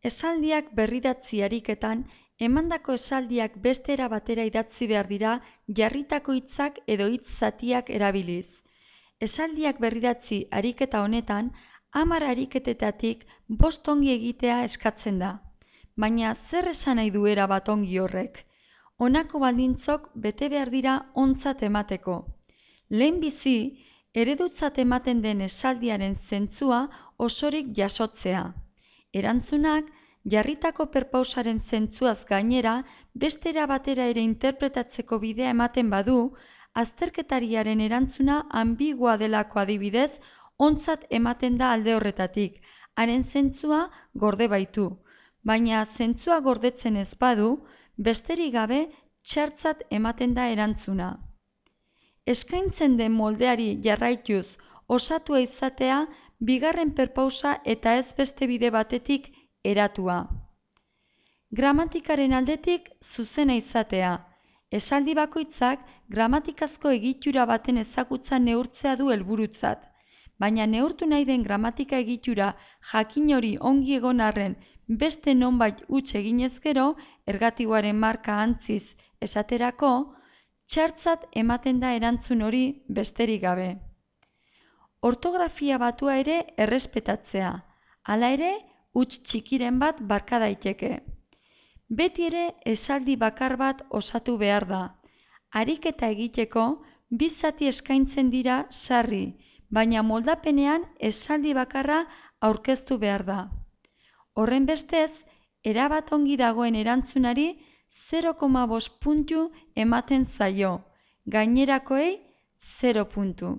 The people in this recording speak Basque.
Esaldiak berridatzi ariketan, emandako esaldiak beste era batera idatzi behar dira jarritako hitzak edo hitz zatiak erabiliz. Esaldiak berridatzi ariketa honetan, 10 ariketetatik 5 ongi egitea eskatzen da. Baina zer esan nahi du erabat ongi horrek? Honako baldintzok bete behar dira ontzat emateko. Lehenbizi, eredutzat ematen den esaldiaren zentzua osorik jasotzea. Erantzunak, jarritako perpausaren zentzuaz gainera, beste era batera ere interpretatzeko bidea ematen badu, azterketariaren erantzuna ambigua delako adibidez, ontzat ematen da alde horretatik, haren zentzua gorde baitu. Baina zentzua gordetzen ez badu, besterik gabe txartzat ematen da erantzuna. Eskaintzen den moldeari jarraituz osatua izatea, bigarren perpausa eta ez beste bide batetik eratua. Gramatikaren aldetik zuzena izatea. Esaldi bakoitzak gramatikazko egitura baten ezagutza neurtzea du helburutzat. Baina neurtu nahi den gramatika egitura jakin hori ongi egon arren beste nonbait huts eginez gero, ergatiboaren marka antziz esaterako, txartzat ematen da erantzun hori besterik gabe. Ortografia batua ere errespetatzea, hala ere, huts txikiren bat barka daiteke. Beti ere esaldi bakar bat osatu behar da. Ariketa egiteko, bi zati eskaintzen dira sarri, baina moldapenean esaldi bakarra aurkeztu behar da. Horren bestez, erabat ongi dagoen erantzunari 0,5 puntu ematen zaio, gainerakoei 0 puntu.